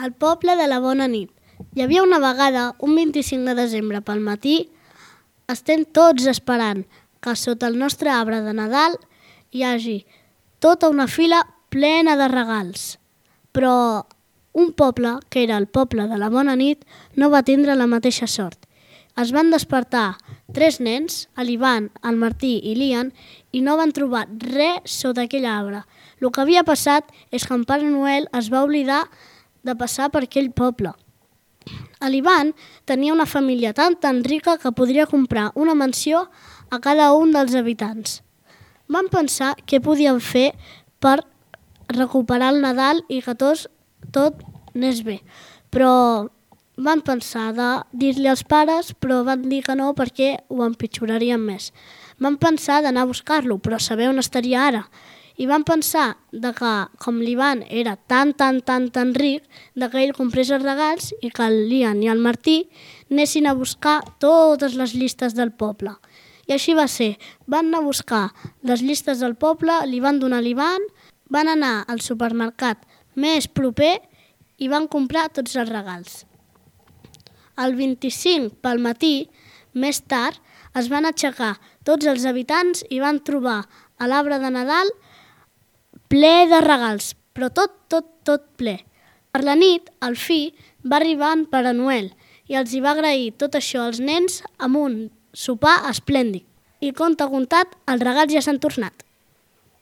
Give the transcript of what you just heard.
Al poble de la Bona Nit. Hi havia una vegada, un 25 de desembre pel matí, estem tots esperant que sota el nostre arbre de Nadal hi hagi tota una fila plena de regals. Però un poble, que era el poble de la Bona Nit, no va tindre la mateixa sort. Es van despertar 3 nens, l'Ivan, el Martí i l'Ian, i no van trobar res sota aquell arbre. El que havia passat és que en Pare Noel es va oblidar de passar per aquell poble. L'Ivan tenia una família tan rica que podria comprar una mansió a cada un dels habitants. Van pensar què podien fer per recuperar el Nadal i que tot anés bé. Però van pensar de dir-li als pares, però van dir que no perquè ho empitjorarien més. Van pensar d'anar a buscar-lo, però saber on estaria ara. I van pensar que, com l'Ivan era tan ric, que ell comprés els regals i que l'Ian i el Martí anessin a buscar totes les llistes del poble. I així va ser. Van anar a buscar les llistes del poble, li van donar a l'Ivan, van anar al supermercat més proper i van comprar tots els regals. El 25 pel matí, més tard, es van aixecar tots els habitants i van trobar a l'arbre de Nadal ple de regals, però tot ple. Per la nit, al fi, va arribar en Pare Noel i els hi va agrair tot això als nens amb un sopar esplèndid. I conte contat, els regals ja s'han tornat.